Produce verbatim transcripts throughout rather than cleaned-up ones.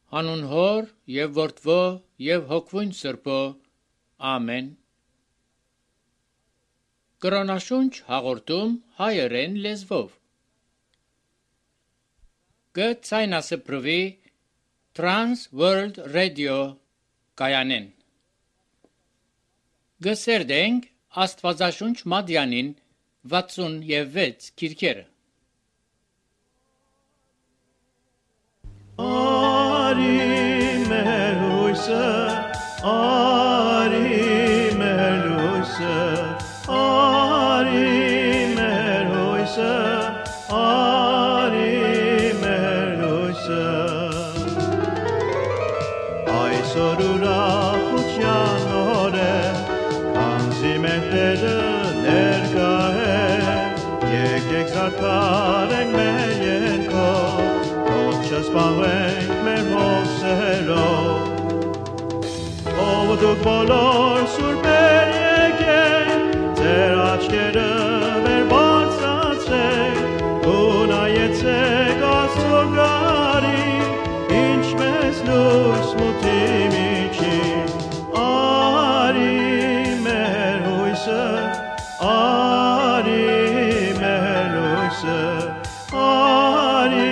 Հանուն Հոր եւ Որդվո եւ Հոգվույն Սրբո, ամեն։ Կրոնաշունչ հաղորդում հայերեն լեզվով։ Գցայնասպրվի Trans World Radio կայանեն։ Գսերդենք Աստվածաշունչ Մադյանին վաթսունվեց քիրքերը։ Ari meluysa, Ari meluysa, Ari meluysa, Ari meluysa. Ay sorura huçyanore, Kanzi mehtere nergahe, Yek ek zartaren meyenko, Չսպանվենք մեր հոգսերով, ով դուք բոլոր սուրբեր եկեք, ձեր աչքերը վեր բարձրացրեք, ու նայեցեք Աստծո գարին, ինչպես լույս մութի միջին, արի մեր հույսը, արի մեր լույսը, արի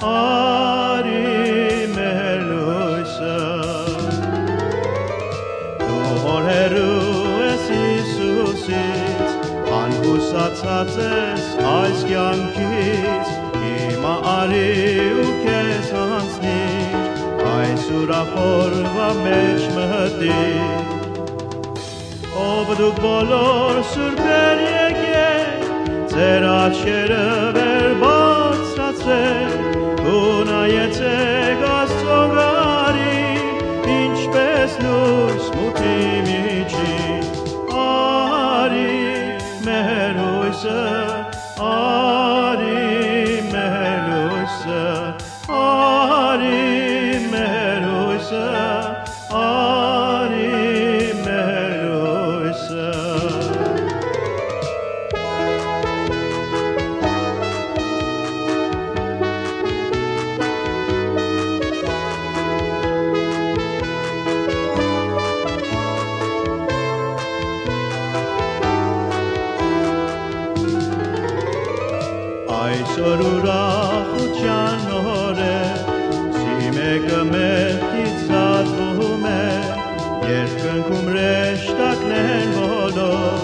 Ari meluysa Դու հորերու ես Իսուսից Անհուսացած ես այս կյանքից Հիմա արի ու քեզ հանձնիր Այս ուրախորվա մեջ մտիր Ով դուք բոլոր սուրբեր եկեք Ձեր աչքերը վեր բարձրացրեք ու նայեցեք Աստծո գարին, ինչպես լույս մութի միջին, արի մեր հույսը, արի մեր լույսը, արի մեր հույսը, արի մեր լույսը. Այսօր ուրախության օր է, սիմեկը մեղքից զատվում է, երկնքում ռեշտակներն բոլոր,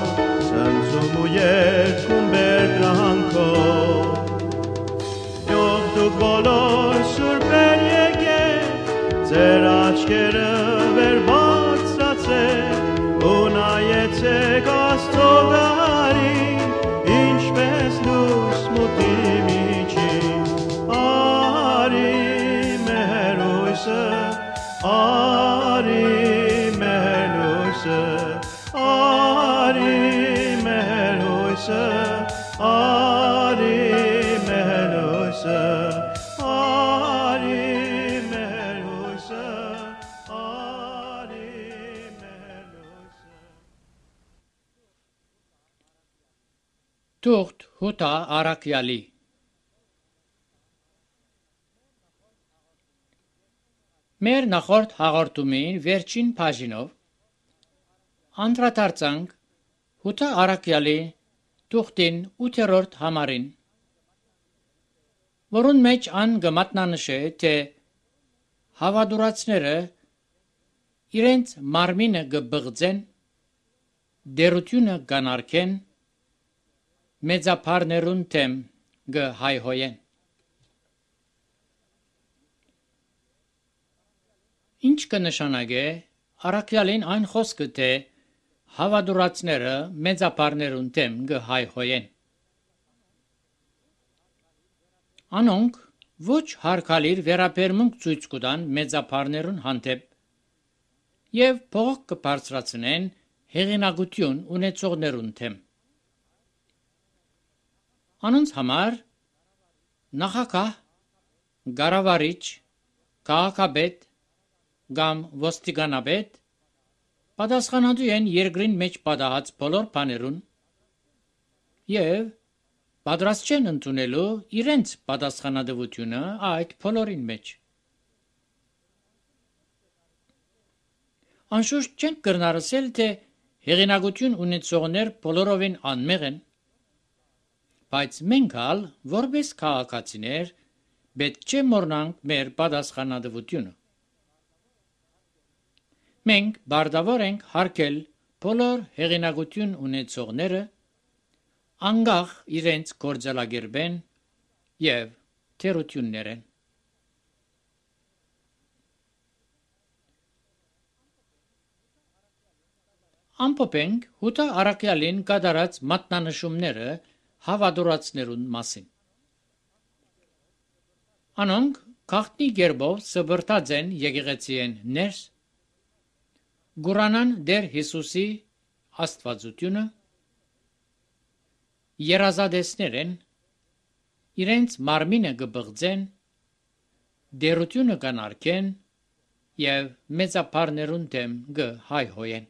ցնծում ու երգում բերկրանքով։ Ով դուք բոլոր սուրբեր եկեք, ձեր աչքերը վեր բարձրացրեք ու նայեցեք Աստծո գարին, ինչպես լույս մութի միջին, արի մեր հույսը, արի մեր հույսը, արի մեր հույսը, արի մեր հույսը, արի մեր հույսը, արի մեր հույսը. Թուղթ Հութա Արաքյալի Մեր նախորդ հաղորդումին վերջին բաժինով անդրադարձանք Հութա Արաքյալի թուղթին ութերորդ համարին, որուն մեջ ան գմատնանշե, թե հավատուրացները իրենց մարմինը գբղձեն, դերությունը գանարքեն, մեծապարներուն թեմ գհայհոյեն։ Ինչ կնշանակե Արաքյալին այն խոսքը, թե հավատուրացները մեծապարներուն թեմ գհայհոյեն։ Անոնք ոչ հարկալիր վերաբերմունք ցույց կտան մեծապարներուն հանդեպ եւ փող կբարձրացնեն հեղինակություն ունեցողներուն թեմ։ Անոնց համար նախագահ, գարավարիչ, քաղաքապետ կամ ոստիկանապետ պատասխանատու են երկրին մեջ պատահած բոլոր բաներուն եւ պատրաստ չեն ընդունելու իրենց պատասխանատվությունը այդ բոլորին մեջ։ Անշուշտ չենք կրնարսել, թե հեղինակություն ունեցողներ բոլորովին անմեղ են, բայց մենք ալ, որպես քաղաքացիներ, պետք չէ մոռանանք մեր պատասխանատվությունը։ Մենք բարդավոր ենք հարգել բոլոր հեղինակություն ունեցողները, անկախ իրենց գործելակերպեն եւ թերություններեն։ Ամփոփենք Հութա Արաքյալին կատարած մատնանշումները հավատորացներուն մասին։ Անոնք քաղտնի գերբով սբրտած են եկեղեցիեն ներս, գուրանան դեր Հիսուսի աստվածությունը, երազադեսներ են, իրենց մարմինը կբղձեն, դերությունը կանարգեն եւ մեծապարներուն դեմ կհայհոյեն։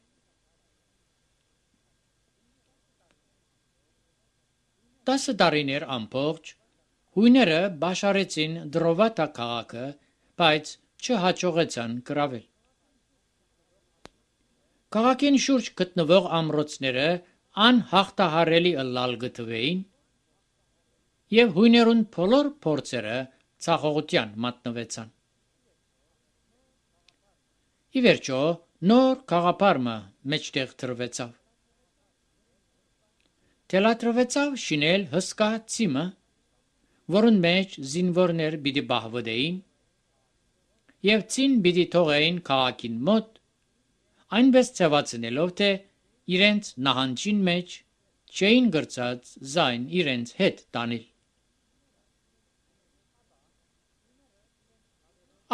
Տասը տարիներ ամբողջ հույները բաշարեցին Դրովատա քաղաքը, բայց չհաջողեցան գրավել։ Քաղաքին շուրջ գտնվող ամրոցները անհաղթահարելի ըլլալ գտվեին եւ հույներուն բոլոր փորձերը ցախողության մատնվեցան։ Ի վերջո նոր քաղաքարմը մեջտեղ դրվեցավ։ Թելադրվեցավ շինել հսկա ցիմը, որուն մեջ զինվորներ պիտի բահվդեին եւ ցին պիտի թողեին քաղաքին մոտ, այնպես ցավացնելով, թե իրենց նահանջին մեջ չէին գրծած զայն իրենց հետ տանել։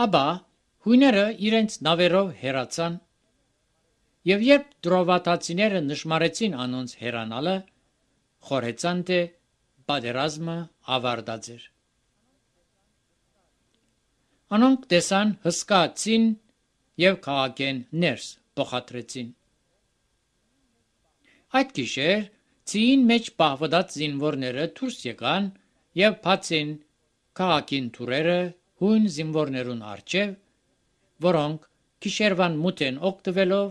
Աբա հույները իրենց նավերով հեռացան եւ երբ դրովատացիները նշմարեցին անոնց հեռանալը, խորհեցան, թե պատերազմը ավարտած էր։ Անոնք տեսան հսկա ցին եւ քաղաքեն ներս փոխադրեցին։ Այդ գիշեր ցին մեջ պահվդած զինվորները դուրս եկան եւ բացին քաղաքին թուրերը հույն զինվորներուն առջեւ, որոնք գիշերվան մութեն օգտվելով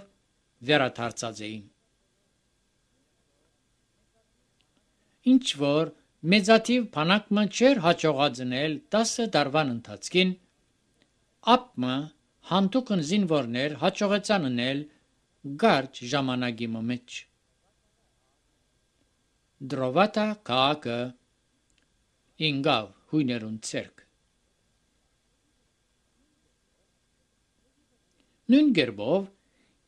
վերադարձած էին։ Ինչ որ մեծաթիվ բանակը չէր հաջողացնել տասը տարվան ընթացքին, ապմը հանդուկն զինվորներ հաջողեցան անել գարջ ժամանակի մեջ։ Դրովատա քաղաքը ինգավ հույներուն ցերկ։ Նույն գերբով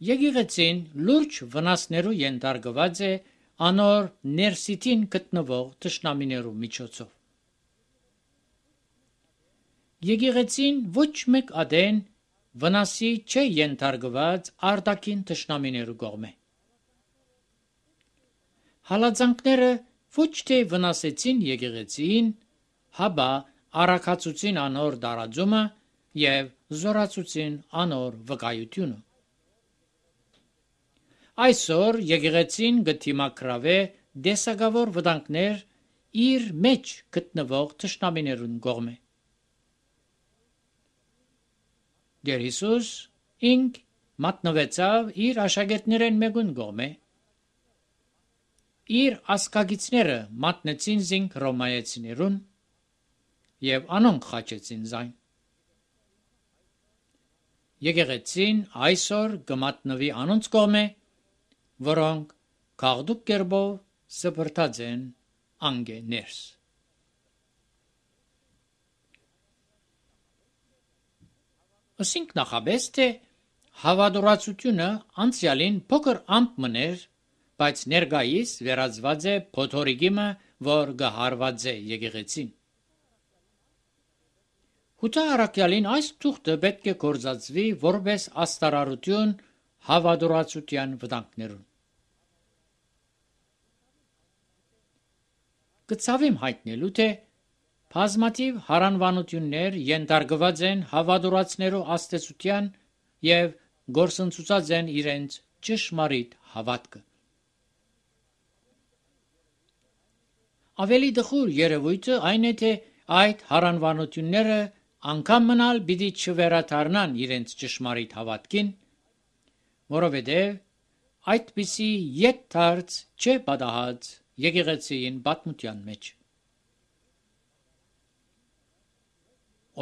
եկեղեցին լուրջ վնասներու ենթարկված է անոր ներսիտին գտնվող թշնամիներու միջոցով։ Եկեղեցին ոչ մեկ ադեն վնասի չէ ենթարկված արտաքին թշնամիներու կողմէ։ Հալածանքները ոչ թե վնասեցին եկեղեցին, հաբա առաքացուցին անոր դարաձումը եւ զորացուցին անոր վկայությունը։ Այսօր եկեղեցին գտիմակրավե դեսագավոր վտանգներ իր մեջ գտնվող թշնամիներուն կողմէ։ Դեր Հիսուս ինք մատնվեցավ իր աշակերտներեն մեկուն կողմէ։ Իր ասկագիցները մատնեցին զինք ռոմայեցիներուն եւ անոնք խաչեցին զայն։ Եկեղեցին այսօր կմատնվի անոնց կողմէ, որոնք քաղդուկ կերբով սփրտած են անգե ներս։ Ասինք նախաբես, թե հավատորացությունը անցյալին փոքր ամպ մներ, բայց ներկայիս վերածված է փոթորիկիմը, որ գահարված է եկեղեցին։ Հութա Արաքյալին այս թուղթը պետք է գործածվի որպես աստարարություն հավատորացության վտանգներուն։ Կցավիմ հայտնելու, թե բազմաթիվ հարանվանություններ ենթարկված են հավատորացներու աստեցության եւ գործընծուցած են իրենց ճշմարիտ հավատքը։ Ավելի դխուր երևույթը այն է, թե այդ հարանվանությունները անգամ մնալ պիտի չվերադառնան իրենց ճշմարիտ հավատքին, որովհետև այդպիսի ետ դարձ չէ պատահած եկեղեցին պատմության մեջ։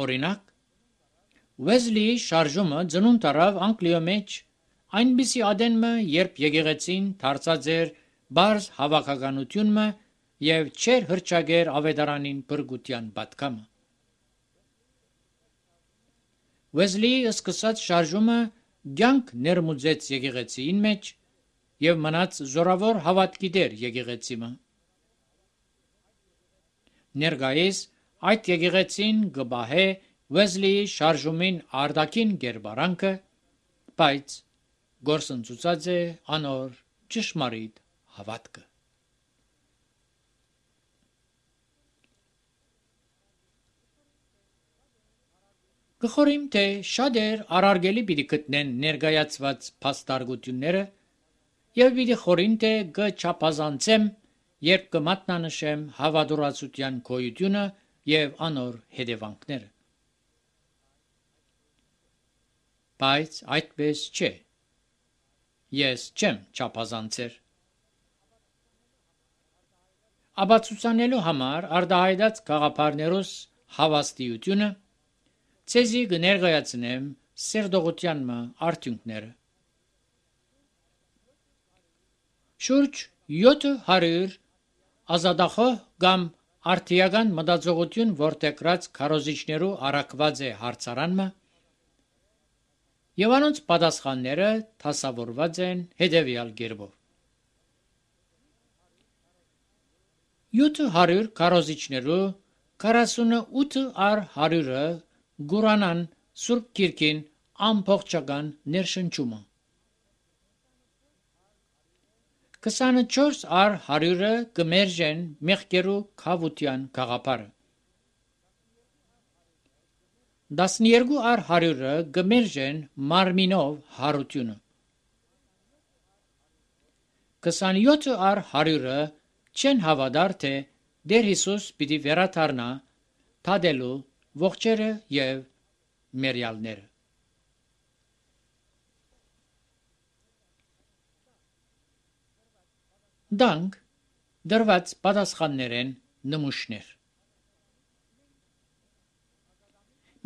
Օրինակ, Վեզլիի շարժումը ծնունդ առավ Անգլիո մեջ այնպիսի ադենմը, երբ եկեղեցին դարձած էր բարձ հավաքականությունը եւ չեր հրճագեր ավետարանին բրգության պատկամը։ Վեզլիի սկսած շարժումը ցանկ ներմուծեց եկեղեցին մեջ եւ մնաց զորավոր հավատքի դեր եկեղեցիմը։ Ներկայիս այդ եկեղեցին գբահե Վեզլիի շարժումին արտաքին գերբարանքը, բայց գործընծուցած է անոր ճշմարիտ հավատքը։ Գխորիմ, թե շատեր առարգելի պիտի գտնեն ներկայացված փաստարկությունները եւ պիտի խորին, թե կչափազանցեմ, երբ կմատնանշեմ հավատուրացության գոյությունը եւ անոր հետևանքները։ Բայց այդպես չէ։ Ես չեմ չափազանցեր։ Աբացուցանելու համար արտահայտած գաղափարներուս հավաստիությունը ցեզի կներկայացնեմ սերտողության արդյունքները։ Շուրջ յոթ հարյուր ազատախոհ կամ արդիական մտածողություն որտեղած քարոզիչներու առաքված է հարցարանը եւ անոնց պատասխանները դասավորված են հետեւյալ կերպով։ յոթ հարյուր քարոզիչներու քառասունութ առ հարյուրը գուրանան Սուրբ Գիրքին ամբողջական ներշնչումը։ քսանչորս առ հարյուրը կմերժեն մեղքերու քավության գաղափարը։ տասներկու առ հարյուրը կմերժեն մարմինով հարությունը։ քսանյոթ առ հարյուրը չեն հավատար, թե Տեր Հիսուս պիտի վերադառնա թադելու ողջերը եւ մերյալները։ Դանք դրված պատասխաններեն նմուշներ։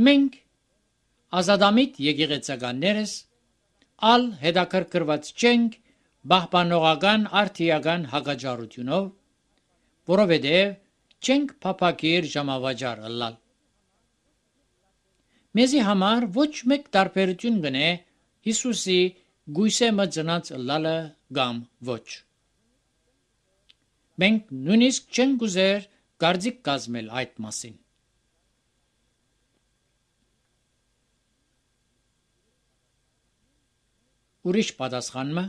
Մենք ազատամիտ եկեղեցականներս ալ հետաքրքրված չենք պահպանողական արդիական հակաճառությունով, որովհետև չենք փափակիր ժամավաճառ ըլլալ։ Մեզի համար ոչ մեկ տարբերություն գնե Հիսուսի գույսե մծնած ըլլալը կամ ոչ։ Մենք նույնիսկ չենք ուզեր կարծիք կազմել այդ մասին։ Ուրիշ պատասխանը.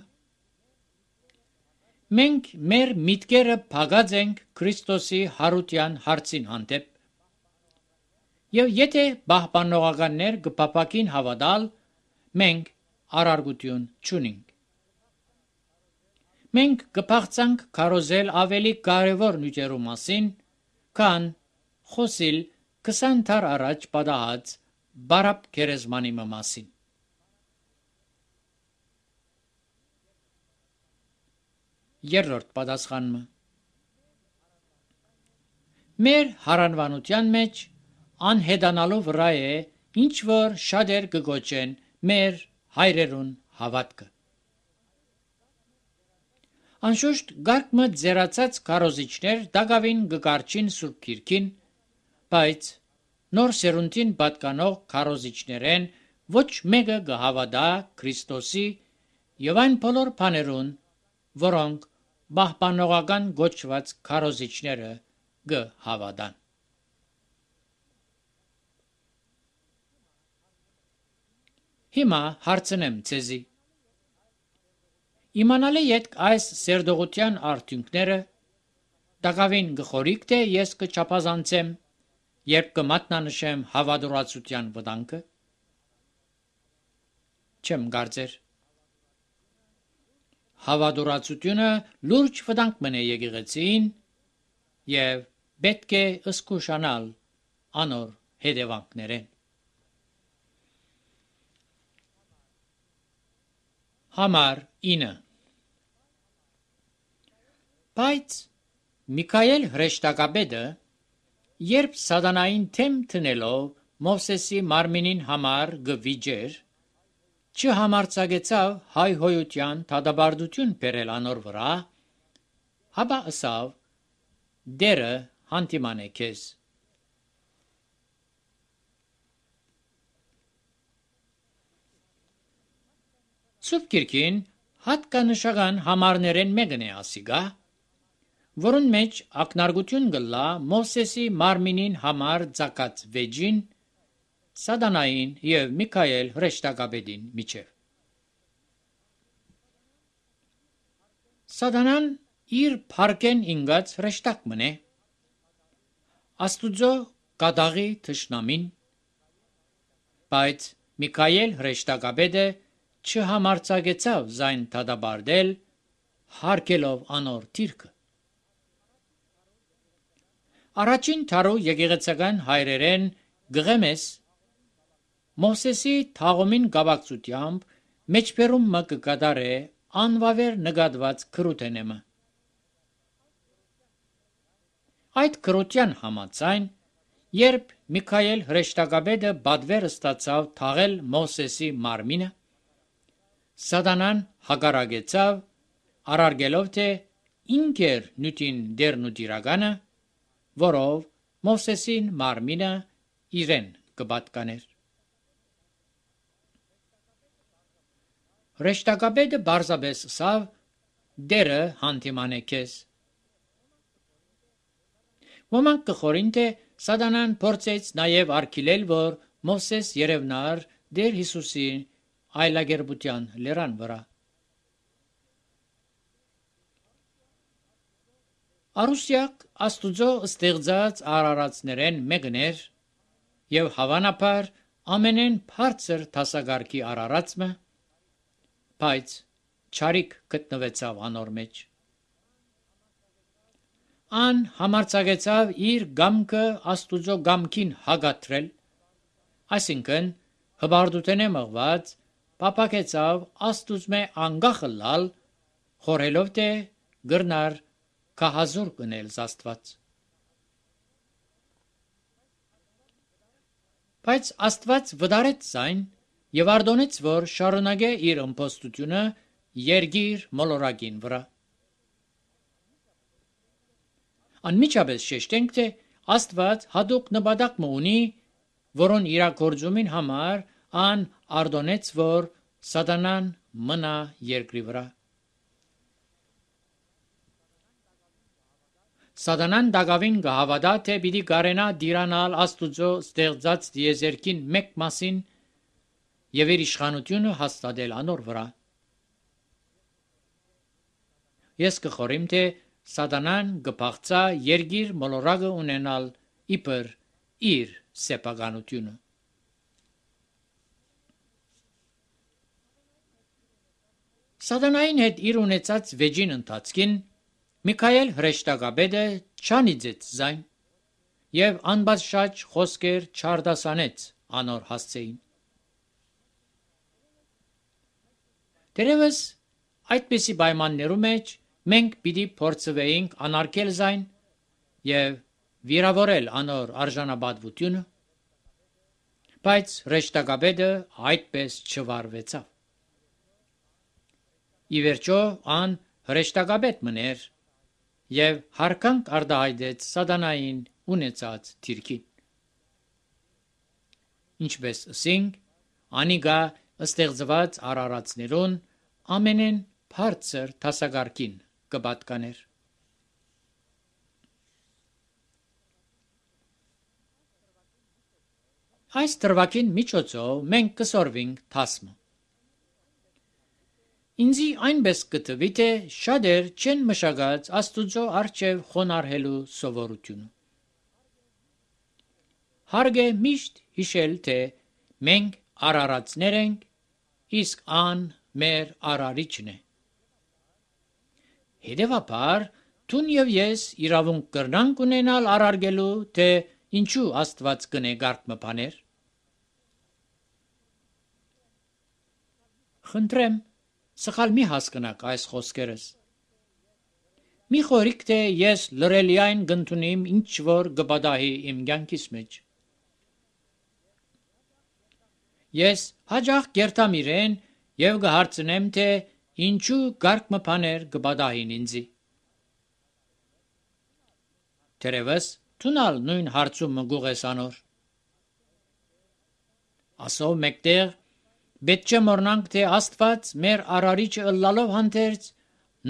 մենք մեր միտքերը փակած ենք Քրիստոսի հարության հարցին հանդեպ, եւ եթե պահպանողականներ կփափակին հավատալ, մենք արարգություն չունենք։ Մենք կփախցանք քարոզել ավելի կարևոր նյութերու մասին, քան խոսիլ քսան դար առաջ պատահած բարապ գերեզմանի մասին։ Երրորդ պատասխանը. մեր հարանվանության մեջ անհետանալու վրա է ինչ որ շատեր կգոչեն մեր հայրերուն հավատքը։ Անշուշտ գարկմը ձերացած քարոզիչներ դակավին կկարչին Սուրբ Գիրքին, բայց նոր սերունդին պատկանող քարոզիչներեն ոչ մեկը կհավատա Քրիստոսի եւ այն բոլոր բաներուն, որոնք պահպանողական գոչված քարոզիչները կհավատան։ Հիմա հարցնեմ ցեզի. իմանալի եք այս սերտողության արդյունքները, դակավին գխորիկ թե ես կչափազանցեմ, երբ կմատնանշեմ հավատուրացության վտանգը։ Չեմ կարծեր։ Հավատուրացությունը լուրջ վտանգ մնե եկեղեցին եւ պետք է զգուշանալ անոր հետևանքներեն։ Համար ինը Բայց Միքայել հրեշտակաբեդը, երբ սատանային թեմ տնելով Մովսեսի մարմինին համար գվիճեր, չհամարձակեցավ հայհոյության դատաբարդություն բերել անոր վրա, հապա ըսավ. դերը հանդիման է քեզ։ Սուրբ Գիրքին հատկանշական համարներեն մեկն է ասիգա, որուն մեջ ակնարկություն գլա Մովսեսի մարմինին համար ծակած վեճին, սատանային եւ Միքայել հրեշտակաբեդին միջև։ Սատանան իր փառքեն ինգած հրեշտակ մնե, Աստուծո կատաղի թշնամին, բայց Միքայել հրեշտակաբեդը չհամարձակեցավ զայն դատաբարդել, հարգելով անոր թիրքը։ Առաջին թարու եկեղեցական հայրերեն գղեմես Մովսեսի թաղումին գավակցությամբ մեջբերում մը կկատարե անվավեր նկատված քրութենեմը։ Այդ քրության համաձայն, երբ Միքայել հրեշտակաբեդը բադվեր ստացավ թաղել Մովսեսի մարմինը, սատանան հակառակեցավ, արարգելով թե ինքեր նյութին դերն ու դիրականը, որով Մովսեսին մարմինը իրեն կպատկաներ։ Հրեշտակաբեդը բարձաբես սավ դերը հանդիման է քեզ։ Ոմանք կխորին թե սատանան փորձեց նաև արգելել, որ Մովսես երևնար Տեր Հիսուսի այլագերբության լերան վրա։ Արուսյակ Աստուծո ստեղծած արարածներեն մեկն էր եւ հավանաբար ամենեն բարձր դասակարգի արարածը, բայց չարիք գտնվեցավ անոր մեջ։ Ան համարձակեցավ իր գամքը Աստուծո գամքին հագատրել, այսինքն հբարդութենե մղված պապակեցավ Աստուծմե անգախը լալ, խորհելով թե գրնար կահազուր կնել Աստված։ Բայց Աստված վդարեց զայն եւ արդոնեց, որ շարունակե իր ըմբոստությունը երգիր մոլորակին վրա։ Անմիջապես շեշտենք, թե Աստված հատուկ նպատակ ունի, որոն իրագործումին համար ան արդոնեց, որ սատանան մնա երկրի վրա։ Սատանան դակավին կհավատա, թե պիտի կարենա դիրանալ Աստուծո ստեղծած դիեզերքին մեկ մասին եւ իր իշխանությունը հաստատել անոր վրա։ Ես կխորիմ, թե սատանան կփախցա երգիր մոլորակը ունենալ իբր իր սեփականությունը։ Սատանային հետ իր ունեցած վեճին ընթացքին Միքայել հրեշտակաբեդը չանիծեց զայն եւ անբաժշաճ խոսքեր չարդասանեց անոր հասցեին։ Դերևս այդպիսի պայմաններում մեջ մենք պիտի փորձվեինք անարգել զայն եւ վիրավորել անոր արժանապատվությունը, բայց հրեշտակաբեդը այդպես չվարվեցավ։ Ի վերջո ան հրեշտակաբեդ մներ եւ հարկանք արդահայտեց սատանային ունեցած թիրքին։ Ինչպես ասենք, անիգա ստեղծված արարածներուն ամենեն բարձր դասակարգին կպատկաներ։ Այս դրվագին միջոցով մենք կսորվենք թասմը։ Ինձի այնպես կտվի, թե շատեր չեն մշակած Աստուծո առջև խոնարհելու սովորությունը։ Հարկ է միշտ հիշել, թե մենք արարածներ ենք, իսկ ան մեր արարիչն է։ Հետևաբար Տուն եւ ես իրավունք կրնանք ունենալ արարգելու, թե ինչու Աստված կնե գարկ մփաներ։ Խնդրեմ, սխալ մի հասկնաք այս խոսքերս։ Մի խորիկ թե ես լրելիայն գտնունիմ ինչ որ գբադահի իմ կյանքիս մեջ։ Ես հաջող կերտամ իրեն եւ կհարցնեմ, թե ինչու գարկ մփաներ գբադահին ինձի։ Թերևս տունալ նույն հարցում մգուղես անոր։ Ասով մեկտեղ պետք չէ մոռնանք, թե Աստված մեր արարիչը ըլլալով հանդերձ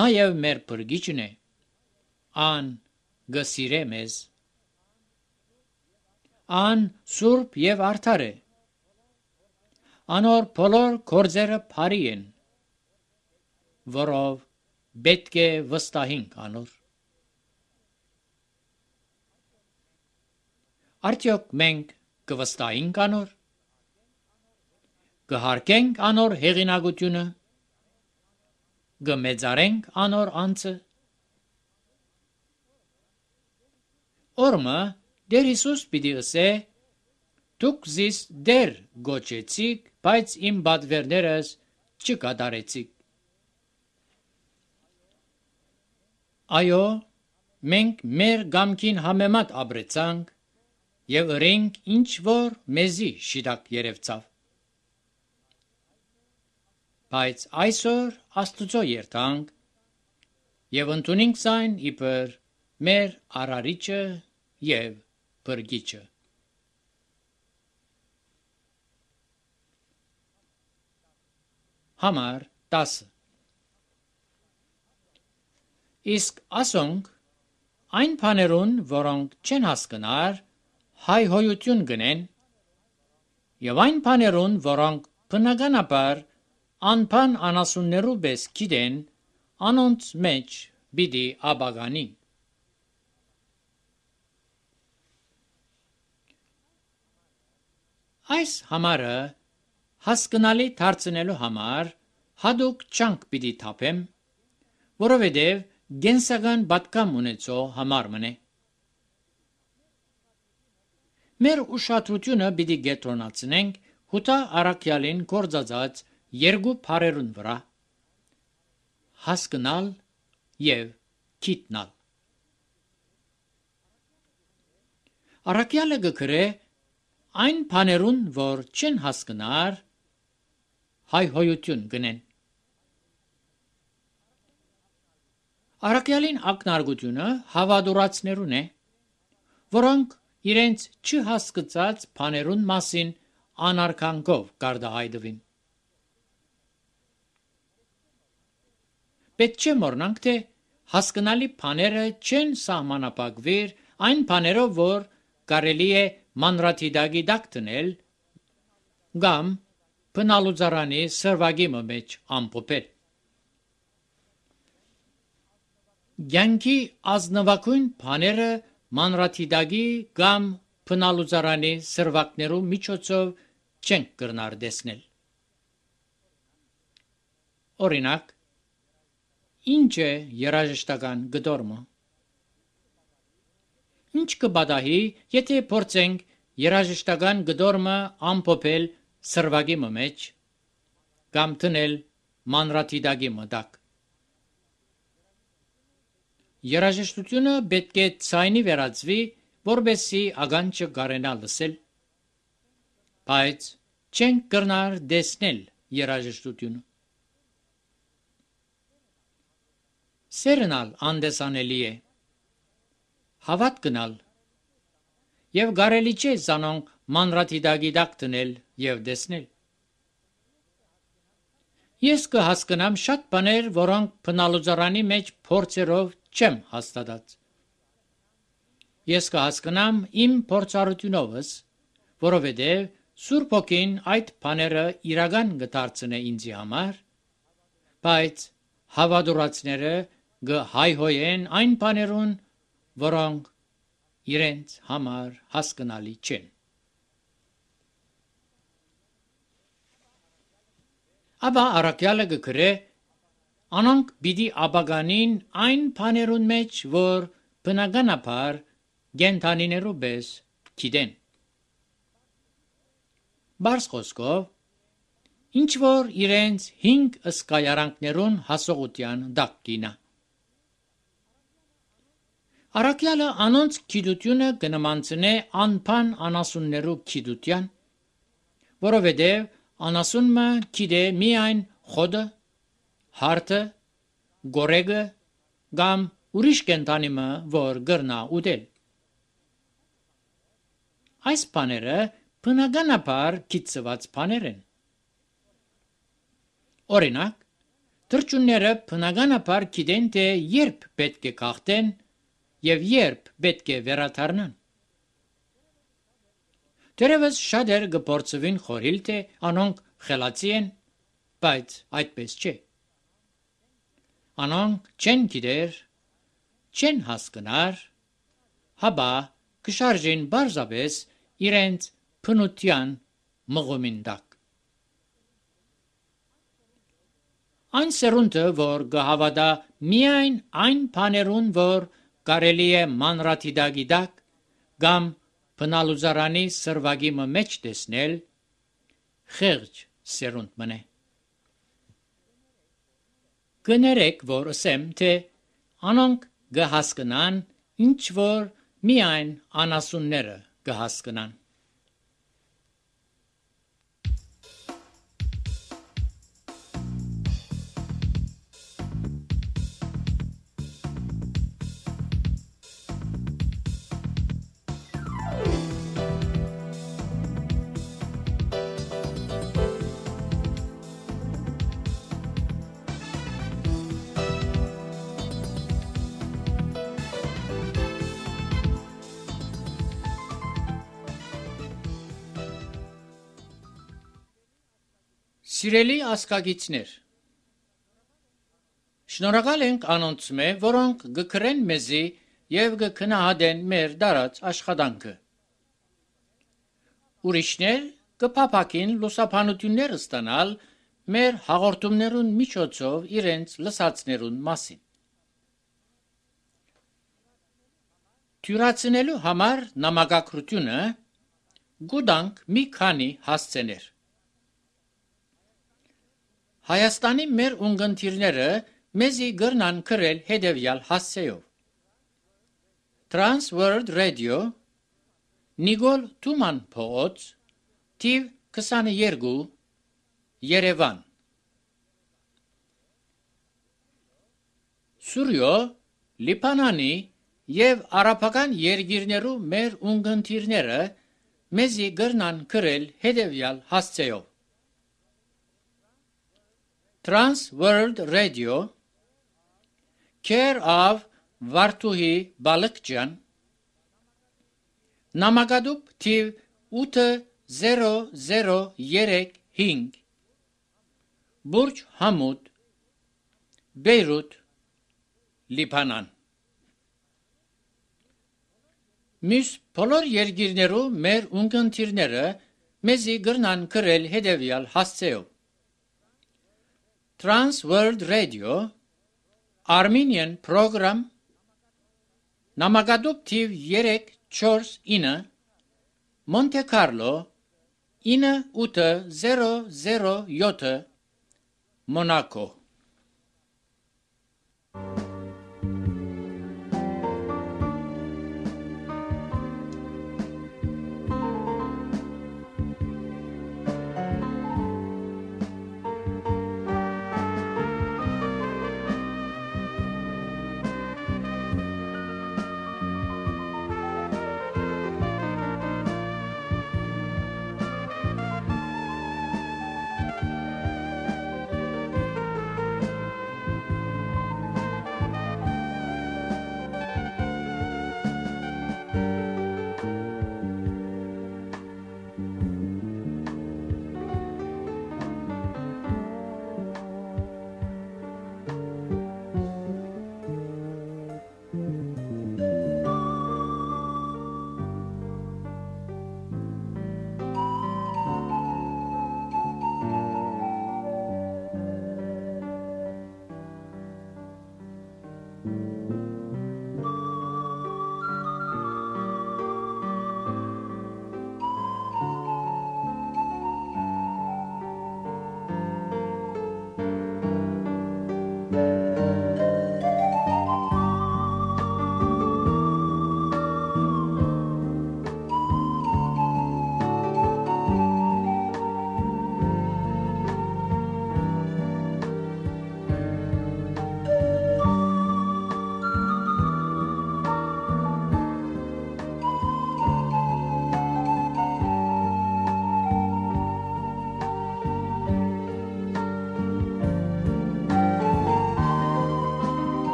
նաեւ մեր փրկիչն է։ Ան գսիրե մեզ։ Ան սուրբ եւ արդար է։ Անոր բոլոր գործերը բարի են, որով պետք է վստահենք անոր։ Արդյոք մենք կվստահենք անոր։ Կհարգենք անոր հեղինակությունը, կմեծարենք անոր անձը։ Օրմը Դեր Հիսուս պիտի ըսե. դուք զիս դեր գոչեցիք, բայց իմ բադվերներս չկատարեցիք։ Այո, մենք մեր գամքին համեմատ ապրեցանք եւ ըրենք ինչ որ մեզի շիտակ երևցավ։ Բայց այսօր Աստուծո երթանք եւ ընդունենք այն իբր մեր արարիչը եւ փրկիչը։ Համար տասը Իսկ ասոնք այն բաներուն, որոնք չեն հասկնար, հայհոյություն գնեն, եւ այն բաներուն, որոնք բնականաբար անփան անասուններու պես գիտեն, անոնց մեջ պիտի աբագանի։ Այս համարը հասկնալի դարձնելու համար հadouk չանք պիտի թափեմ, որովհետև գենսական պատկամ ունեցող համար մնե։ Մեր ուշադրությունը պիտի կենտրոնացնենք Հուտա առաքյալին գործածած երկու բառերուն վրա՝ հասկնալ եւ գիտնալ։ Առաքյալը կգրե այն բաներուն, որ չեն հասկնար, հայհոյություն գնեն։ Առաքյալին ակնարկությունը հավատուրացներուն է, որոնք իրենց չհասկացած բաներուն մասին անարգանքով կարտահայտվին։ Պետք չէ մոռնանք, թե հասկանալի բաները չեն սահմանափակվիր այն բաներով, որ կարելի է մանրաթիդակի տակ դնել կամ բնալուծարանի սրվագի մեջ ամփոփել։ Կյանքի ազնվագույն բաները մանրաթիդակի կամ բնալուծարանի սրվակներու միջոցով չենք կրնար տեսնել։ Օրինակ, ինչ է երաժշտական գդորմը։ Ինչ կբադահի, եթե փորձենք երաժշտական գդորմը ամփոփել սրվագի մեջ կամ տնել մանրաթիդակի մտակ։ Երաժշտությունը պետք է ցայնի վերածվի, որբեսի ականջը կարենա լսել, բայց չենք կրնար տեսնել երաժշտությունը։ Սերնալ անդեսանելի է, հավատքնալ եւ կարելի չէ զանոնք մանրաթիդակի տակ դնել եւ տեսնել։ Ես կհասկանամ շատ բաներ, որոնք բնալուծարանի մեջ փորձերով չեմ հաստատած։ Ես կհասկանամ իմ փորձառությունովս, որովհետև Սուրբ Հոգին այդ բաները իրական կդարձնե ինձի համար, բայց հավատուրացները կհայհոյեն այն բաներուն, որոնք իրենց համար հասկանալի չեն։ Աբա առաքյալը կգրե Անոնք պիտի ապագանին այն բաներուն մեջ, որ բնականաբար գենթանիներու պես գիտեն։ Բարձ խոսքով, ինչ որ իրենց հինգ ըսկայարանքներուն հասողության դակ կինա։ Արաքյալը անոնց գիտությունը կնմանցնե անփան անասուններու գիտության, որովհետև անասունը գիտե միայն խոդը, հարթը, գորեգը կամ ուրիշ կենտանիմը, որ գրնա ուտել։ Այս բաները բնականաբար գիտված բաներ են։ Օրինակ, թռչունները բնականաբար գիտեն, թե երբ պետք է քաղտեն եւ երբ պետք է վերադառնան։ Դերևս շատեր կփորձվին խորհել, թե անոնք խելացի են, բայց այդպես չէ։ Անոնք չեն գիտեր, չեն հասկնար, հաբա կշարժեն բարձավես իրենց փնության մղումին տակ։ Այն սերունդը, որ կհավատա միայն այն բաներուն, որ կարելի է մանրադիտակի տակ կամ բնալուծարանի սրվագի մեջ տեսնել, խեղճ սերունդ մնե։ Կներեք, որ ասեմ, թե անոնք կհասկնան, ինչ որ միայն անասունները կհասկնան։ Սիրելի ասկագիցներ, շնորհակալ ենք անոնց մե, որոնք գկրեն մեզի եւ գքնահատեն մեր դարած աշխատանքը։ Ուրիշներ կփափակին լուսաբանություններ ստանալ մեր հաղորդումներուն միջոցով իրենց լսածներուն մասին։ Թյուրացնելու համար նամակագրությունը գուտանք մի քանի հասցեներ։ Հայաստանի մեր ունգընտիրները մեզի գրնան գրել հետևյալ հասցեով. Trans World Radio, Նիգոլ Թուման փողոց, թիվ քսաներկու, Երևան։ Սուրյո, Լիբանանի եւ արաբական երկիրներու մեր ունգընտիրները մեզի գրնան գրել հետևյալ հասցեով. Trans World Radio, Care of Վարդուհի Բալկջյան, Նամակադուպ թիվ ութ զերո զերո երեք հինգ, Բուրջ Համուդ, Բեյրութ, Լիբանան։ Մյուս բոլոր երկիրներու մեր ունգընտիրները մեզի գրնան գրել հետևյալ հասցեով. Trans World Radio, Armenian Program, Նամակադուպ թիվ երեք չորս ինը, Monte Carlo, ինը ութ զերո զերո յոթ, Monaco։